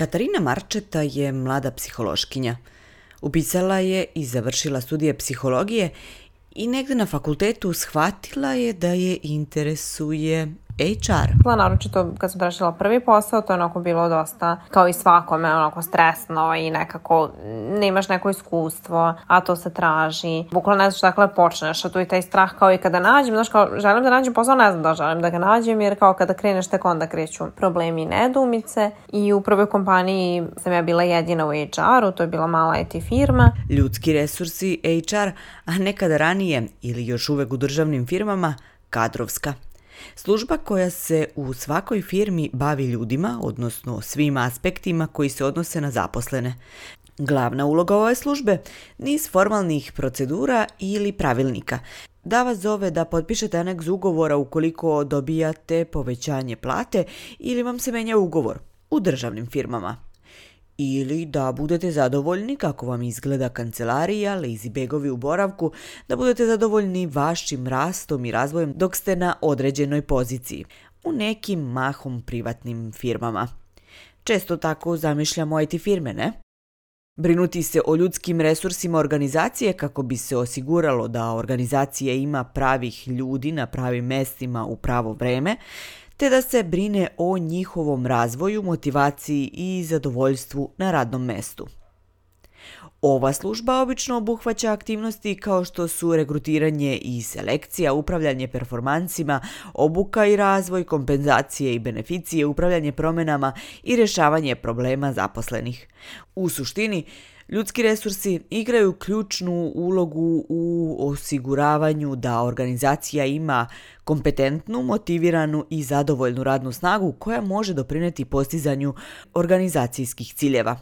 Katarina Marčeta je mlada psihološkinja. Upisala je i završila studije psihologije i negde na fakultetu shvatila je da je interesuje HR. Naročito kad sam tražila prvi posao, to je onako bilo dosta, kao i svakome, onako stresno i nekako nemaš neko iskustvo, a to se traži. Bukvalno ne znaš dakle počneš, a tu je taj strah kao i kada nađem, znaš kao želim da nađem posao, ne znam da želim da ga nađem, jer kao kada kreneš tek onda kreću problemi i nedoumice. I u prvoj kompaniji sam ja bila jedina u HR-u, to je bila mala IT firma. Ljudski resursi HR, a nekada ranije ili još uvek u državnim firmama, kadrovska. Služba koja se u svakoj firmi bavi ljudima, odnosno svim aspektima koji se odnose na zaposlene. Glavna uloga ove službe, niz formalnih procedura ili pravilnika. Da vas zove da potpišete aneks ugovora ukoliko dobijate povećanje plate ili vam se menja ugovor u državnim firmama. Ili da budete zadovoljni kako vam izgleda kancelarija, lazy bagovi u boravku, da budete zadovoljni vašim rastom i razvojem dok ste na određenoj poziciji, u nekim mahom privatnim firmama. Često tako zamišljamo IT firme, ne? Brinuti se o ljudskim resursima organizacije kako bi se osiguralo da organizacija ima pravih ljudi na pravim mestima u pravo vreme, te da se brine o njihovom razvoju, motivaciji i zadovoljstvu na radnom mestu. Ova služba obično obuhvaća aktivnosti kao što su regrutiranje i selekcija, upravljanje performansima, obuka i razvoj, kompenzacije i beneficije, upravljanje promjenama i rješavanje problema zaposlenih. U suštini, ljudski resursi igraju ključnu ulogu u osiguravanju da organizacija ima kompetentnu, motiviranu i zadovoljnu radnu snagu koja može doprinijeti postizanju organizacijskih ciljeva.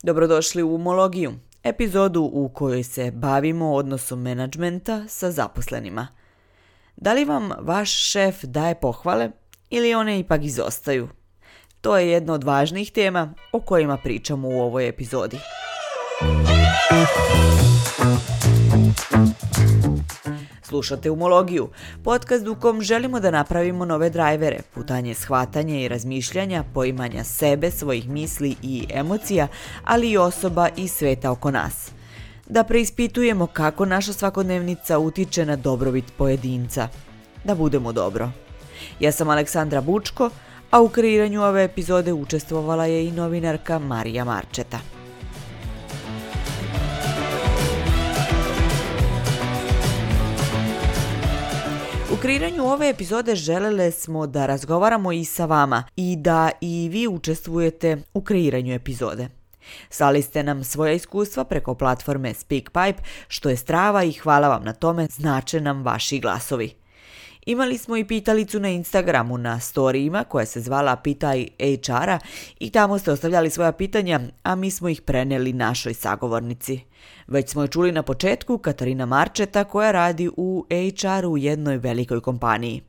Dobrodošli u Umologiju, epizodu u kojoj se bavimo odnosom menadžmenta sa zaposlenima. Da li vam vaš šef daje pohvale ili one ipak izostaju? To je jedna od važnijih tema o kojima pričamo u ovoj epizodi. Slušate Umologiju, podcast u kom želimo da napravimo nove drajvere, putanje shvatanja i razmišljanja, poimanja sebe, svojih misli i emocija, ali i osoba i sveta oko nas. Da preispitujemo kako naša svakodnevnica utiče na dobrobit pojedinca. Da budemo dobro. Ja sam Aleksandra Bučko, a u kreiranju ove epizode učestvovala je i novinarka Marija Marčeta. U kreiranju ove epizode želele smo da razgovaramo i sa vama i da i vi učestvujete u kreiranju epizode. Slali ste nam svoja iskustva preko platforme SpeakPipe, što je strava i hvala vam na tome, znače nam vaši glasovi. Imali smo i pitalicu na Instagramu na storijima koja se zvala Pitaj HR-a i tamo ste ostavljali svoja pitanja, a mi smo ih preneli našoj sagovornici. Već smo je čuli na početku, Katarina Marčeta koja radi u HR-u u jednoj velikoj kompaniji.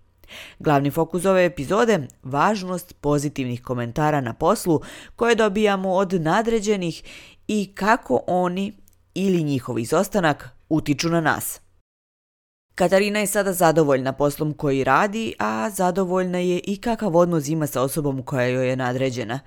Glavni fokus ove epizode, važnost pozitivnih komentara na poslu koje dobijamo od nadređenih i kako oni ili njihov izostanak utiču na nas. Katarina je sada zadovoljna poslom koji radi, a zadovoljna je i kakav odnos ima sa osobom koja joj je nadređena.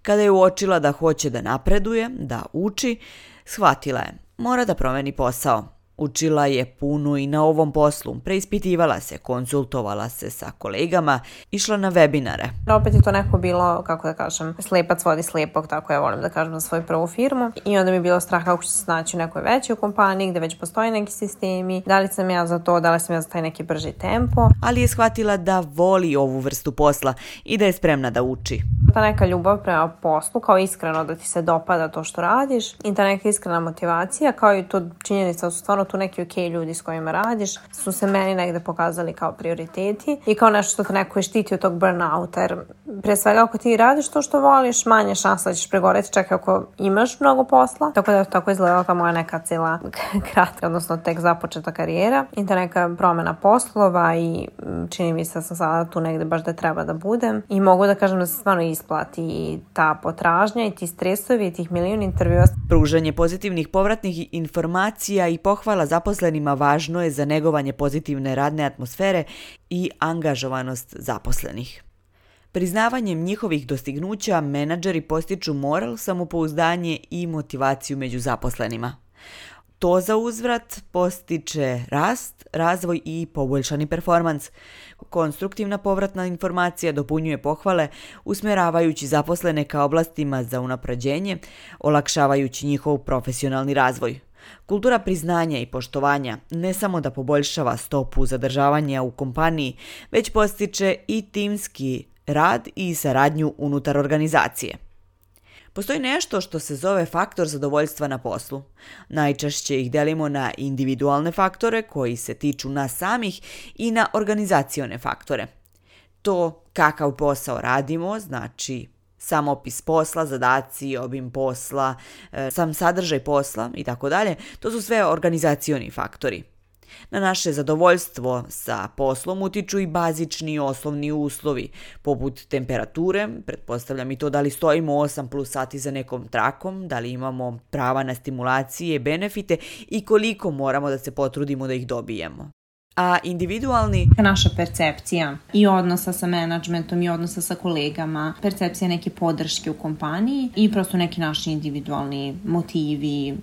Kada je uočila da hoće da napreduje, da uči, shvatila je, mora da promeni posao. Učila je puno i na ovom poslu, preispitivala se, konsultovala se sa kolegama, išla na webinare. Opet je to neko bilo, kako da kažem, slepac vodi slepog, tako ja volim da kažem za svoju prvu firmu. I onda mi je bilo strah kako ću se snaći u nekoj većoj kompaniji gde već postoje neki sistemi, da li sam ja za to, da li sam ja za taj neki brži tempo. Ali je shvatila da voli ovu vrstu posla i da je spremna da uči. Ta neka ljubav prema poslu, kao iskreno da ti se dopada to što radiš i ta neka iskrena motivacija, kao i to činjenica su stvarno tu neki ok ljudi s kojima radiš, su se meni negde pokazali kao prioriteti i kao nešto što te neko je štiti od tog burnouta, jer pre svega ako ti radiš to što voliš, manje šansa da ćeš pregoreti, čak ako imaš mnogo posla, tako da je tako izgledala kao moja neka cijela kratka, odnosno tek započeta karijera i ta neka promjena poslova i čini mi se da sam sada tu negde baš da treba da budem i mogu da kažem da se stvarno isplati i ta potražnja i ti stresovi i tih milion intervjua. Pružanje pozitivnih povratnih informacija i pohvala zaposlenima važno je za negovanje pozitivne radne atmosfere i angažovanost zaposlenih. Priznavanjem njihovih dostignuća menadžeri postiču moral, samopouzdanje i motivaciju među zaposlenima. To za uzvrat postiče rast, razvoj i poboljšani performans. Konstruktivna povratna informacija dopunjuje pohvale, usmjeravajući zaposlene ka oblastima za unapređenje, olakšavajući njihov profesionalni razvoj. Kultura priznanja i poštovanja ne samo da poboljšava stopu zadržavanja u kompaniji, već postiče i timski rad i saradnju unutar organizacije. Postoji nešto što se zove faktor zadovoljstva na poslu. Najčešće ih delimo na individualne faktore koji se tiču nas samih i na organizacione faktore. To kakav posao radimo, znači sam opis posla, zadaci, obim posla, sam sadržaj posla i tako dalje, to su sve organizacioni faktori. Na naše zadovoljstvo sa poslom utiču i bazični osnovni uslovi, poput temperature, pretpostavljam i to da li stojimo 8+ sati za nekom trakom, da li imamo prava na stimulacije, benefite i koliko moramo da se potrudimo da ih dobijemo. A individualni... Naša percepcija i odnosa sa menadžmentom i odnosa sa kolegama, percepcija neke podrške u kompaniji i prosto neki naši individualni motivi,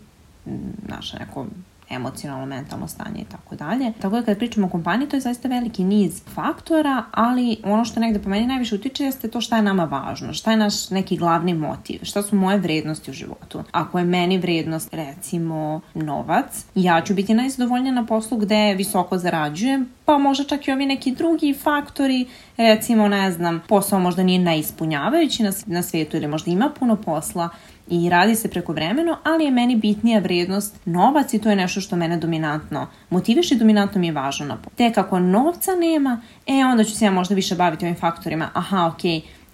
naše neko emocionalno, mentalno stanje i tako dalje. Tako da kada pričamo o kompaniji, to je zaista veliki niz faktora, ali ono što negde po meni najviše utiče jeste to šta je nama važno, šta je naš neki glavni motiv, šta su moje vrednosti u životu. Ako je meni vrednost, recimo, novac, ja ću biti najzadovoljnija na poslu gde visoko zarađujem, pa možda čak i ovi neki drugi faktori, recimo, ne znam, posao možda nije najispunjavajući na svijetu ili možda ima puno posla, i radi se prekovremeno, ali je meni bitnija vrednost novac i to je nešto što mene dominantno motiviše i dominantno mi je važno. Tek ako novca nema, onda ću se ja možda više baviti ovim faktorima.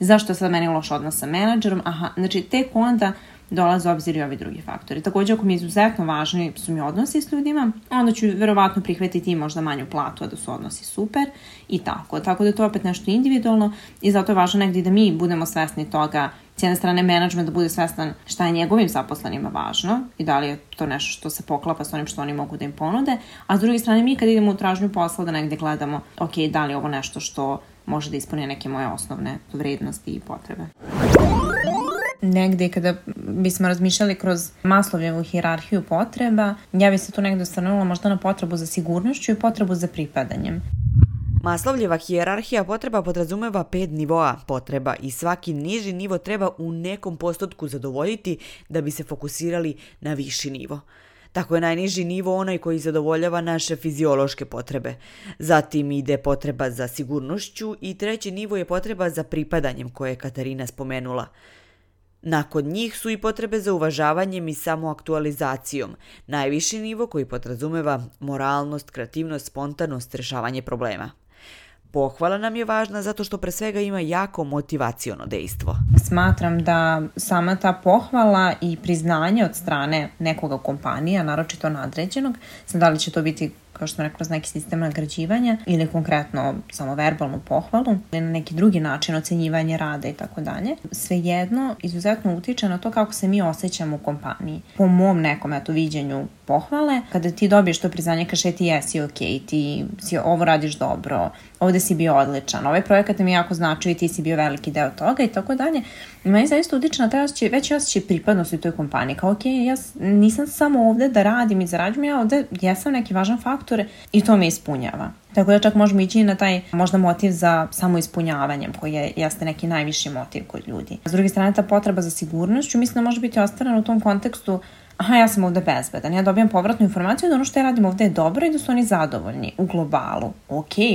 Zašto je sad meni loš odnos sa menadžerom? Znači tek onda dolaze u obzir i ovi drugi faktori. Također, ako mi je izuzetno važni su mi odnosi s ljudima, onda ću verovatno prihvatiti i možda manju platu, a da su odnosi super i tako. Tako da je to opet nešto individualno i zato je važno negdje da mi budemo svesni toga. S jedne strane, menadžment da bude svestan šta je njegovim zaposlenima važno i da li je to nešto što se poklapa s onim što oni mogu da im ponude, a s druge strane mi kad idemo u tražnju posla da negdje gledamo da li je ovo nešto što može da ispuni neke moje osnovne vrednosti i potrebe. Negdje kada bismo razmišljali kroz Maslowljevu hijerarhiju potreba, ja bi se tu negdje osvrnula možda na potrebu za sigurnošću i potrebu za pripadanjem. Maslowljeva hijerarhija potreba podrazumeva 5 nivoa potreba i svaki niži nivo treba u nekom postotku zadovoljiti da bi se fokusirali na viši nivo. Tako je najniži nivo onaj koji zadovoljava naše fiziološke potrebe. Zatim ide potreba za sigurnošću i treći nivo je potreba za pripadanjem koje je Katarina spomenula. Nakon njih su i potrebe za uvažavanjem i samoaktualizacijom, najviši nivo koji podrazumeva moralnost, kreativnost, spontanost, rješavanje problema. Pohvala nam je važna zato što pre svega ima jako motivaciono dejstvo. Smatram da sama ta pohvala i priznanje od strane nekoga kompanija, naročito nadređenog, sad da li će to biti kao što sam rekla, neki sistem nagrađivanja ili konkretno samo verbalnu pohvalu ili na neki drugi način ocenjivanje rada i tako dalje. Svejedno izuzetno utiče na to kako se mi osjećamo u kompaniji. Po mom nekom viđenju pohvale, kada ti dobiješ to priznanje, kaže ti jesi ti ovo radiš dobro, ovdje si bio odličan, ovaj projekat mi jako značio i ti si bio veliki deo toga i tako dalje. I meni zaista utiče na taj osjećaj, veći osjećaj pripadnosti u toj kompaniji. Kao ja nisam samo ovdje da radim i zarađujem, ja ovdje jesam neki važan faktor i to me ispunjava. Tako da čak možemo ići na taj možda motiv za samoispunjavanjem koji jeste neki najviši motiv kod ljudi. S druge strane, ta potreba za sigurnošću mislim da može biti ostvarena u tom kontekstu ja sam ovdje bezbedan, ja dobijam povratnu informaciju da ono što ja radim ovdje je dobro i da su oni zadovoljni u globalu.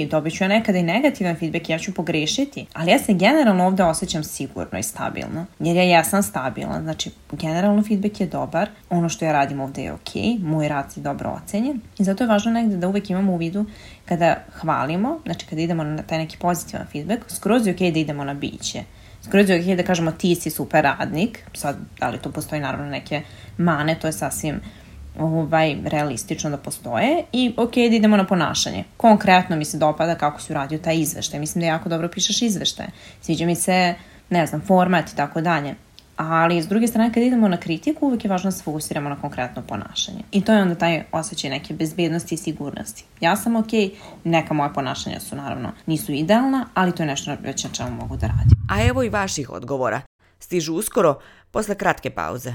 Dobit ću ja nekada i negativan feedback, ja ću pogrešiti, ali ja se generalno ovdje osjećam sigurno i stabilno, jer ja jesam stabilan, znači generalno feedback je dobar, ono što ja radim ovdje je moj rad je dobro ocenjen i zato je važno negdje da uvijek imamo u vidu kada hvalimo, znači kada idemo na taj neki pozitivan feedback, skroz je da idemo na biće. Skroz je da kažemo ti si super radnik, sad da li tu postoji naravno neke mane, to je sasvim realistično da postoje i da idemo na ponašanje. Konkretno mi se dopada kako si uradio taj izveštaj, mislim da jako dobro pišeš izveštaje, sviđa mi se, format i tako dalje, Ali s druge strane kad idemo na kritiku uvijek je važno da se fokusiramo na konkretno ponašanje. I to je onda taj osjećaj neke bezbednosti i sigurnosti. Ja sam okej, neka moja ponašanja su naravno nisu idealna, ali to je nešto već na čemu mogu da radim. A evo i vaših odgovora. Stižu uskoro, posle kratke pauze.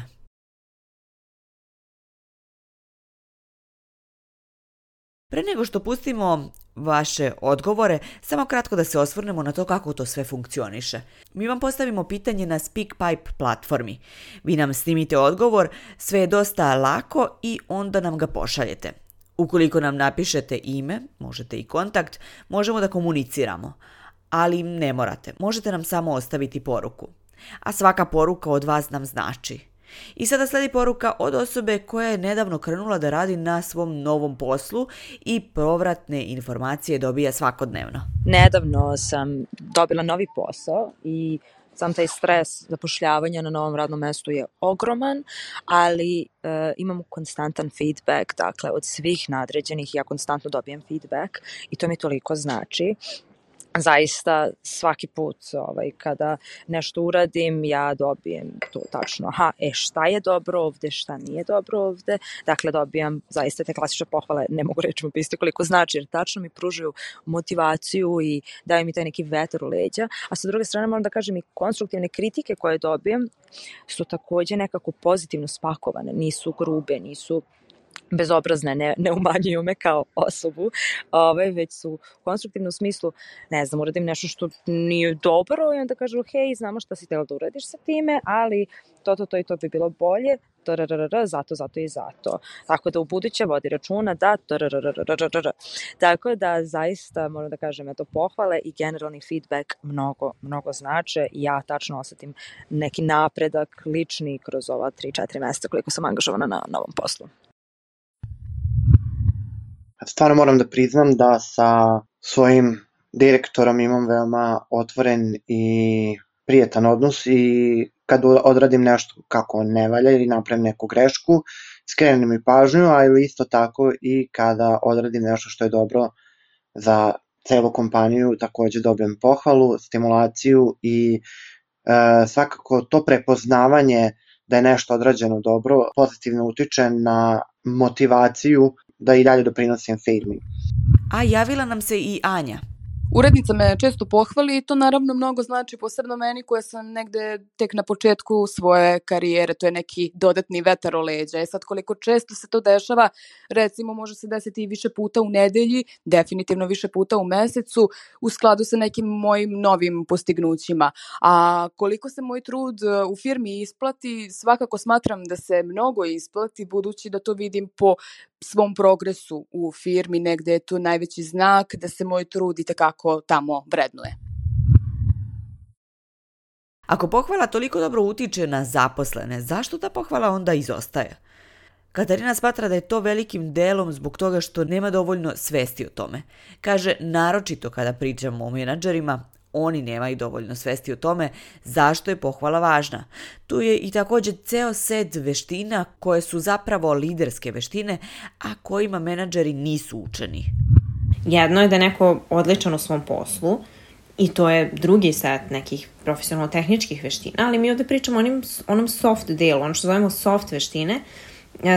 Pre nego što pustimo vaše odgovore, samo kratko da se osvrnemo na to kako to sve funkcioniše. Mi vam postavimo pitanje na SpeakPipe platformi. Vi nam snimite odgovor, sve je dosta lako i onda nam ga pošaljete. Ukoliko nam napišete ime, možete i kontakt, možemo da komuniciramo. Ali ne morate, možete nam samo ostaviti poruku. A svaka poruka od vas nam znači. I sada sledi poruka od osobe koja je nedavno krenula da radi na svom novom poslu i povratne informacije dobija svakodnevno. Nedavno sam dobila novi posao i sam taj stres zapošljavanja na novom radnom mestu je ogroman, ali imam konstantan feedback, dakle od svih nadređenih ja konstantno dobijem feedback i to mi toliko znači. Zaista svaki put kada nešto uradim ja dobijem to tačno, šta je dobro ovde, šta nije dobro ovde, dakle dobijam zaista te klasične pohvale, ne mogu reći mu isto koliko znači jer tačno mi pružaju motivaciju i daju mi taj neki vetar u leđa, a sa druge strane moram da kažem i konstruktivne kritike koje dobijem su takođe nekako pozitivno spakovane, nisu grube, nisu bezobrazne, ne umanjuju me kao osobu, već su u konstruktivnom smislu, ne znam, uradim nešto što nije dobro i onda kažu, hej, znamo šta si htjela da uradiš sa time, ali to i to bi bilo bolje, zato i zato. Tako da u buduće vodi računa da Tako da zaista moram da kažem pohvale i generalni feedback mnogo znače i ja tačno osetim neki napredak lični kroz ova 3-4 mjeseca koliko sam angažovana na novom poslu. Stvarno moram da priznam da sa svojim direktorom imam veoma otvoren i prijetan odnos i kad odradim nešto kako ne valja ili napravim neku grešku, skrenem mi pažnju, ali isto tako i kada odradim nešto što je dobro za celu kompaniju, takođe dobijem pohvalu, stimulaciju i svakako to prepoznavanje da je nešto odrađeno dobro pozitivno utiče na motivaciju da i dalje doprinosim firmi. A javila nam se i Anja. Urednica me često pohvali i to naravno mnogo znači, posebno meni koja sam negde tek na početku svoje karijere, to je neki dodatni vetar o leđa. Sad koliko često se to dešava, recimo može se desiti i više puta u nedelji, definitivno više puta u mesecu, u skladu sa nekim mojim novim postignućima. A koliko se moj trud u firmi isplati, svakako smatram da se mnogo isplati, budući da to vidim po svom progresu u firmi, negde je to najveći znak da se moj trud itekako tamo vrednuje. Ako pohvala toliko dobro utiče na zaposlene, zašto ta pohvala onda izostaje? Katarina smatra da je to velikim delom zbog toga što nema dovoljno svesti o tome. Kaže, naročito kada pričamo o menadžerima, oni nemaju dovoljno svesti o tome zašto je pohvala važna. Tu je i također ceo set veština koje su zapravo liderske veštine, a kojima menadžeri nisu učeni. Jedno je da je neko odličan u svom poslu i to je drugi set nekih profesionalno-tehničkih veština, ali mi ovdje pričamo o onom soft delu, ono što zovemo soft veštine,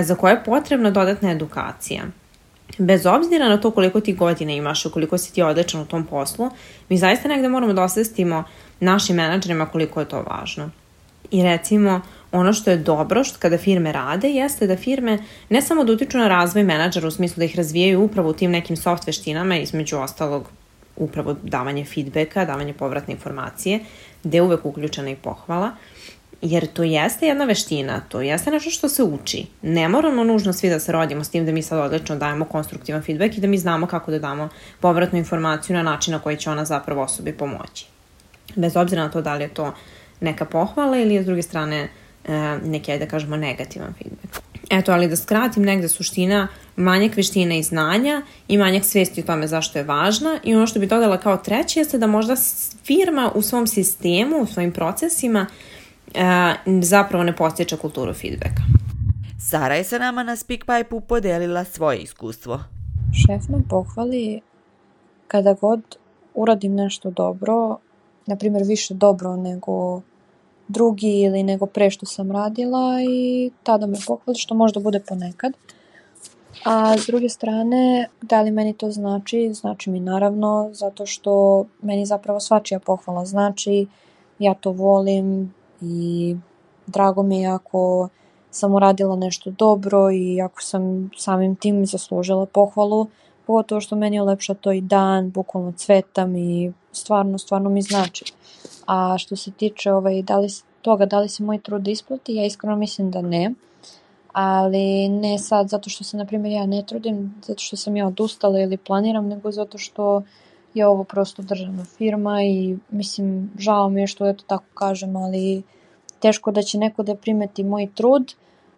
za koje je potrebna dodatna edukacija. Bez obzira na to koliko ti godine imaš, koliko si ti odličan u tom poslu, mi zaista negde moramo da osvestimo našim menadžerima koliko je to važno. I recimo, ono što je dobro kada firme rade, jeste da firme ne samo da utiču na razvoj menadžera u smislu da ih razvijaju upravo u tim nekim soft veštinama, između ostalog upravo davanje feedbacka, davanje povratne informacije, gde je uvek uključena i pohvala, jer to jeste jedna veština, to jeste nešto što se uči. Ne moramo nužno svi da se rodimo s tim da mi sad odlično dajemo konstruktivan feedback i da mi znamo kako da damo povratnu informaciju na način na koji će ona zapravo osobi pomoći. Bez obzira na to da li je to neka pohvala ili je s druge strane neki, da kažemo, negativan feedback. Eto, ali da skratim, negde suština, manjak veštine i znanja i manjak svesti o tome zašto je važna, i ono što bih dodala kao treće jeste da možda firma u svom sistemu, u svojim procesima zapravo ne postiče kulturu feedbacka. Sara je sa nama na SpeakPipe-u podelila svoje iskustvo. Šef me pohvali kada god uradim nešto dobro, na primjer više dobro nego drugi ili nego pre što sam radila i tada me pohvali, što možda bude ponekad. A s druge strane, da li meni to znači? Znači mi naravno, zato što meni zapravo svačija pohvala znači, ja to volim i drago mi je ako sam uradila nešto dobro i ako sam samim tim zaslužila pohvalu, pogotovo što meni ulepša to i dan, bukvalno cvetam i stvarno mi znači. A što se tiče da li se moj trud isplati, ja iskreno mislim da ne. Ali ne sad zato što se, na primjer, ja ne trudim, zato što sam ja odustala ili planiram, nego zato što je ovo prosto državna firma i mislim, žao mi je što to tako kažem, ali teško da će neko da primeti moj trud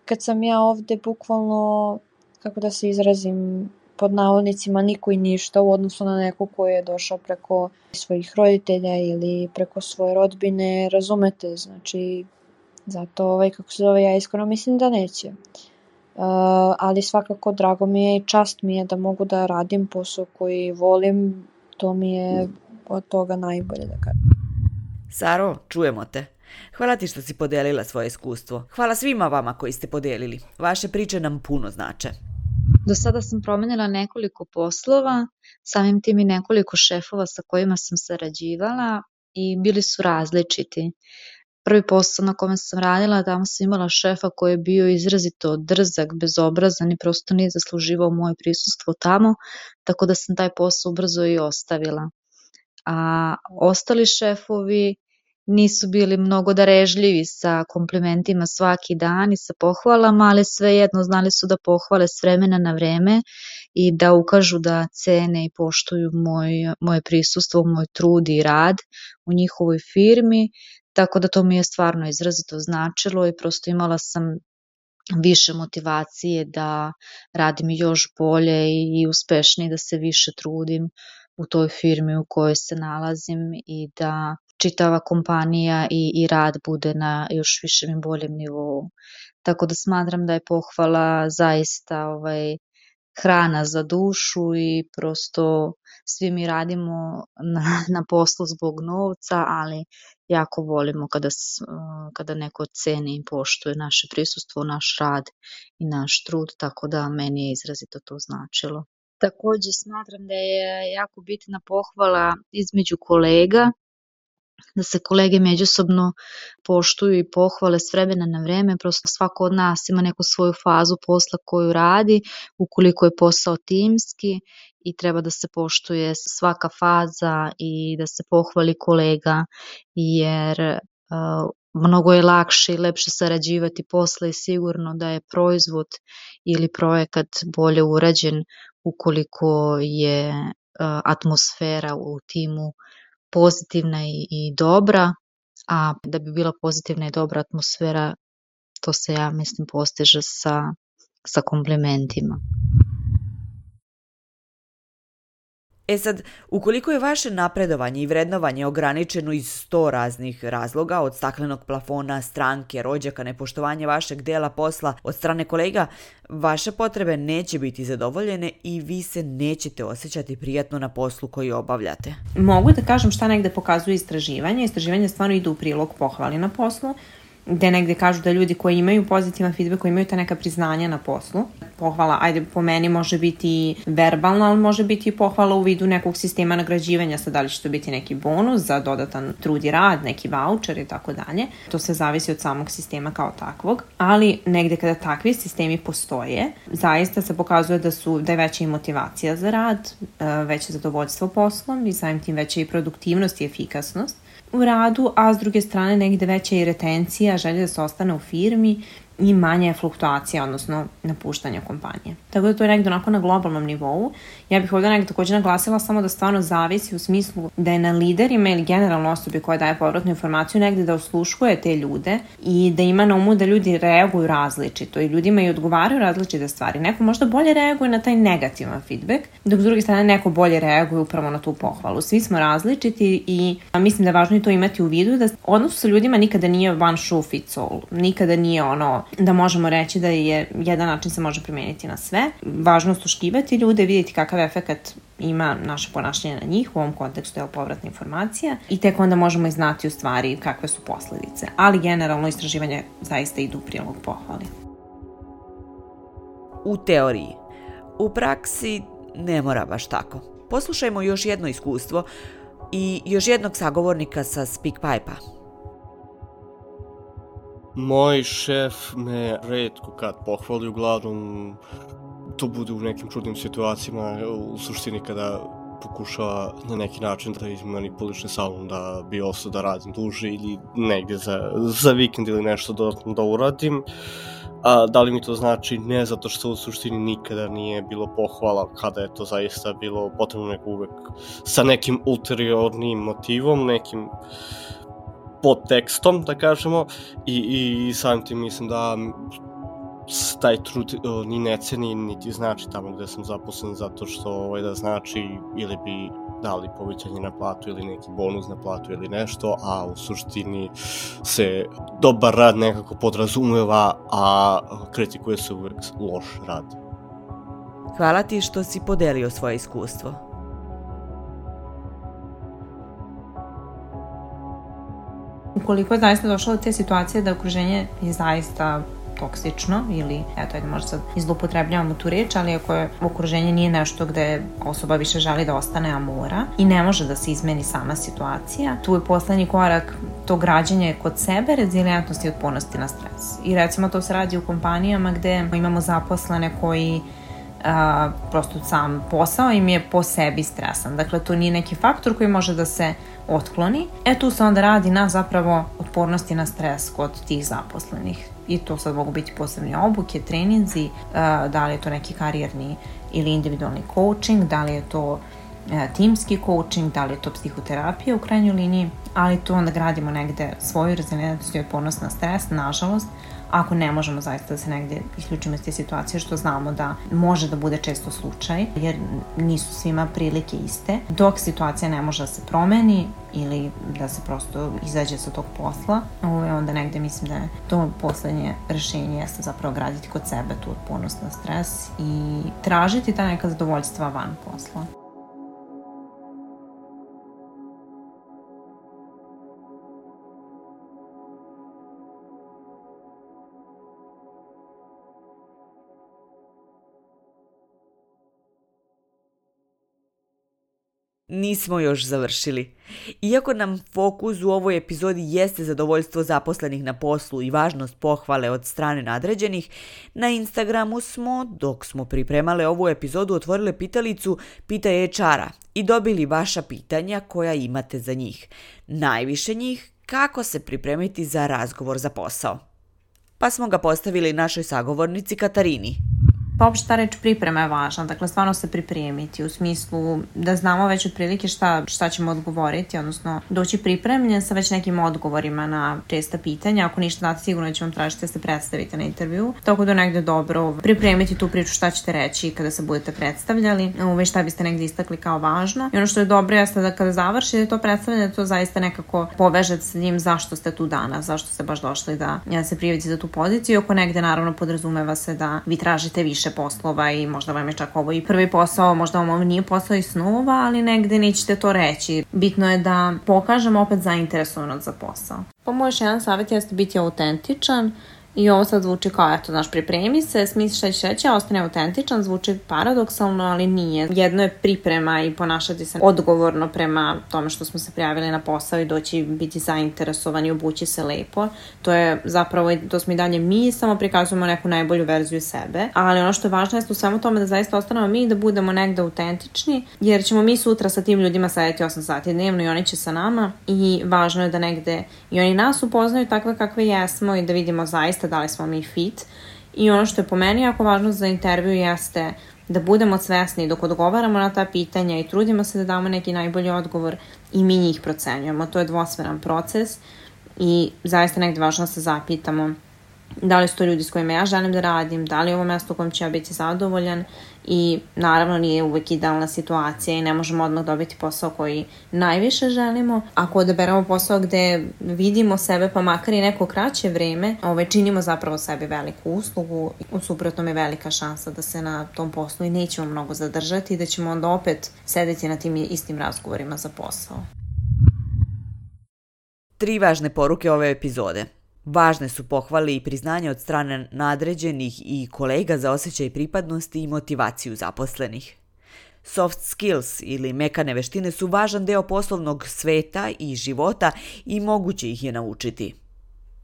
kad sam ja ovde bukvalno, kako da se izrazim, pod navodnicima niko i ništa u odnosu na neko koji je došao preko svojih roditelja ili preko svoje rodbine, razumete, znači zato ja iskreno mislim da neće. Ali svakako drago mi je i čast mi je da mogu da radim posao koji volim, to mi je od toga najbolje da kažem. Saro, čujemo te. Hvala ti što si podelila svoje iskustvo. Hvala svima vama koji ste podelili. Vaše priče nam puno znače. Do sada sam promenila nekoliko poslova, samim tim i nekoliko šefova sa kojima sam sarađivala i bili su različiti. Prvi posao na kome sam radila, tamo sam imala šefa koji je bio izrazito drzak, bezobrazan i prosto nije zasluživao moje prisustvo tamo, tako da sam taj posao brzo i ostavila. A ostali šefovi nisu bili mnogo darežljivi sa komplimentima svaki dan i sa pohvalama, ali svejedno znali su da pohvale s vremena na vreme i da ukažu da cene i poštuju moje prisustvo, moj trud i rad u njihovoj firmi, tako da to mi je stvarno izrazito značilo i prosto imala sam više motivacije da radim još bolje i uspešnije, da se više trudim u toj firmi u kojoj se nalazim i da čitava kompanija i rad bude na još višem i boljem nivou. Tako da smatram da je pohvala zaista hrana za dušu i prosto svi mi radimo na poslu zbog novca, ali jako volimo kada neko ceni i poštuje naše prisustvo, naš rad i naš trud, tako da meni je izrazito to značilo. Takođe smatram da je jako bitna pohvala između kolega, da se kolege međusobno poštuju i pohvale s vremena na vreme, prosto svako od nas ima neku svoju fazu posla koju radi, ukoliko je posao timski i treba da se poštuje svaka faza i da se pohvali kolega, jer mnogo je lakše i lepše sarađivati posle i sigurno da je proizvod ili projekat bolje urađen ukoliko je atmosfera u timu pozitivna i dobra, a da bi bila pozitivna i dobra atmosfera, to se, ja mislim, postiže sa komplimentima. Sad, ukoliko je vaše napredovanje i vrednovanje ograničeno iz 100 raznih razloga, od staklenog plafona, stranke, rođaka, nepoštovanja vašeg dela posla od strane kolega, vaše potrebe neće biti zadovoljene i vi se nećete osjećati prijatno na poslu koji obavljate. Mogu da kažem šta negde pokazuje istraživanje. Istraživanje stvarno idu u prilog pohvali na poslu, gde negde kažu da ljudi koji imaju pozitivan feedback, koji imaju ta neka priznanja na poslu, pohvala, ajde po meni može biti verbalna, ali može biti i pohvala u vidu nekog sistema nagrađivanja, sad da li će to biti neki bonus za dodatan trud i rad, neki voucher i tako dalje. To se zavisi od samog sistema kao takvog, ali negde kada takvi sistemi postoje, zaista se pokazuje da je veća i motivacija za rad, veće zadovoljstvo poslom i samim tim veća i produktivnost i efikasnost u radu, a s druge strane negde veća i retencija, želja da se ostane u firmi i manja je fluktuacija, odnosno napuštanja kompanije. Tako da to je negde onako na globalnom nivou. Ja bih ovdje negde također naglasila samo da stvarno zavisi u smislu da je na liderima ili generalno osobi koja daje povratnu informaciju negde da osluškuje te ljude i da ima na umu da ljudi reaguju različito i ljudima i odgovaraju različite stvari. Neko možda bolje reaguje na taj negativan feedback, dok s druge strane neko bolje reaguje upravo na tu pohvalu. Svi smo različiti i mislim da je važno i to imati u vidu da odnos sa ljudima nikada nije one shoe fits all. Nikada nije ono da možemo reći da je jedan način se može primeniti na sve. Važno osluškivati ljude, vidjeti kakav efekat ima naše ponašanje na njih, u ovom kontekstu je povratna informacija i tek onda možemo i znati u stvari kakve su posledice. Ali generalno istraživanje zaista idu u prilog pohvali. U teoriji. U praksi ne mora baš tako. Poslušajmo još jedno iskustvo i još jednog sagovornika sa SpeakPipe-a. Moj šef me retko kad pohvali, uglavnom to bude u nekim čudnim situacijama, u suštini kada pokušava na neki način da izmanipuliše sa mnom da bi ostao da radim duže ili negdje za vikend ili nešto dodatno da uradim. A da li mi to znači? Ne, zato što u suštini nikada nije bilo pohvala kada je to zaista bilo potrebno, nego uvek sa nekim ulteriornim motivom, nekim podtekstom, da kažemo, i samim tim mislim da taj trud ni ne ceni, niti znači tamo gde sam zaposlen, zato što da znači ili bi dali povećanje na platu ili neki bonus na platu ili nešto, a u suštini se dobar rad nekako podrazumeva, a kritikuje se uvek loš rad. Hvala ti što si podelio svoje iskustvo. Ukoliko je zaista došlo do te situacije da okruženje je zaista toksično ili, možda sad izlupotrebljavamo tu reč, ali ako je okruženje nije nešto gde osoba više želi da ostane, a mora i ne može da se izmeni sama situacija, tu je poslednji korak to građenje kod sebe, rezilijentnosti i otpornosti na stres. I recimo to se radi u kompanijama gde imamo zaposlene koji prosto sam posao im je po sebi stresan. Dakle, to nije neki faktor koji može da se otkloni. Tu se onda radi na zapravo otpornosti na stres kod tih zaposlenih. I to sad mogu biti posebne obuke, treninzi, da li je to neki karijerni ili individualni coaching, da li je to timski coaching, da li je to psihoterapija u krajnjoj liniji, ali tu onda gradimo negde svoju rezilijentnost i otpornost na stres, nažalost, ako ne možemo zaista da se negde isključimo iz te situacije, što znamo da može da bude često slučaj, jer nisu svima prilike iste, dok situacija ne može da se promeni ili da se prosto izađe sa tog posla, onda negde mislim da je to poslednje rešenje jeste zapravo graditi kod sebe tu otpornost na stres i tražiti ta neka zadovoljstva van posla. Nismo još završili. Iako nam fokus u ovoj epizodi jeste zadovoljstvo zaposlenih na poslu i važnost pohvale od strane nadređenih, na Instagramu smo, dok smo pripremale ovu epizodu, otvorile pitalicu Pitaj HR-a i dobili vaša pitanja koja imate za njih. Najviše njih, kako se pripremiti za razgovor za posao. Pa smo ga postavili našoj sagovornici Katarini. Pa uopšte ta reč priprema je važna, dakle stvarno se pripremiti u smislu da znamo već otprilike šta ćemo odgovoriti, odnosno doći pripremljen sa već nekim odgovorima na česta pitanja. Ako ništa znate, sigurno će vam tražiti da se predstavite na intervju, tako da negde dobro pripremiti tu priču šta ćete reći kada se budete predstavljali, šta biste negde istakli kao važno. I ono što je dobro jeste da kada završite to predstavljanje, to zaista nekako povežete sa njim zašto ste tu danas, zašto ste baš došli da se prijavite za tu poziciju. Ako negde naravno podrazumeva se da vi tražite više poslova i možda vam je čak ovo i prvi posao, možda vam ovo nije posao iz snova, ali negde nećete to reći. Bitno je da pokažemo opet zainteresovanost za posao. Pa moj još jedan savjet jeste biti autentičan i ovo sad zvuči kao, pripremi se, smisli šta ćeš reći, a ostane autentičan, zvuči paradoksalno, ali nije. Jedno je priprema i ponašati se odgovorno prema tome što smo se prijavili na posao i doći biti zainteresovani i obući se lepo. To je zapravo, to smo i dalje mi, samo prikazujemo neku najbolju verziju sebe, ali ono što je važno je u svemu tome da zaista ostanemo mi i da budemo negde autentični, jer ćemo mi sutra sa tim ljudima sedeti 8 sati dnevno i oni će sa nama i važno je da negde i oni nas upoznaju takve kakve jesmo i da vidimo zaista da li smo mi fit. I ono što je po meni jako važno za intervju jeste da budemo svesni dok odgovaramo na ta pitanja i trudimo se da damo neki najbolji odgovor i mi njih procenjujemo. To je dvosmeran proces i zaista negde važno da se zapitamo da li su to ljudi s kojima ja želim da radim, da li je ovo mesto u kojem ću ja biti zadovoljan i naravno nije uvek idealna situacija i ne možemo odmah dobiti posao koji najviše želimo. Ako odaberemo posao gde vidimo sebe pa makar i neko kraće vreme, činimo zapravo sebi veliku uslugu. U suprotnom je velika šansa da se na tom poslu i nećemo mnogo zadržati i da ćemo onda opet sedeti na tim istim razgovorima za posao. 3 važne poruke ove epizode. Važne su pohvale i priznanje od strane nadređenih i kolega za osjećaj pripadnosti i motivaciju zaposlenih. Soft skills ili mekane veštine su važan deo poslovnog sveta i života i moguće ih je naučiti.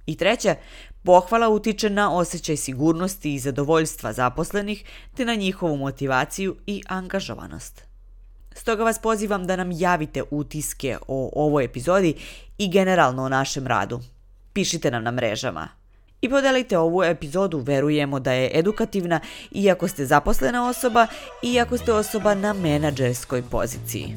I 3. pohvala utiče na osjećaj sigurnosti i zadovoljstva zaposlenih te na njihovu motivaciju i angažovanost. Stoga vas pozivam da nam javite utiske o ovoj epizodi i generalno o našem radu. Pišite nam na mrežama. I podelite ovu epizodu, verujemo da je edukativna iako ste zaposlena osoba i iako ste osoba na menadžerskoj poziciji.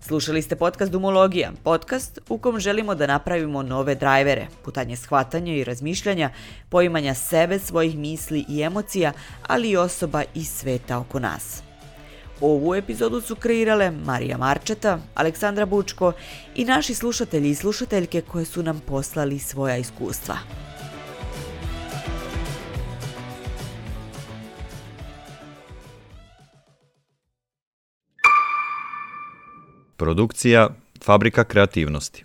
Slušali ste podcast Dumologija, podcast u kom želimo da napravimo nove drajvere, putanje shvatanja i razmišljanja, poimanja sebe, svojih misli i emocija, ali i osoba iz sveta oko nas. Ovu epizodu su kreirale Marija Marčeta, Aleksandra Bučko i naši slušatelji i slušateljke koje su nam poslali svoja iskustva. Produkcija Fabrika kreativnosti.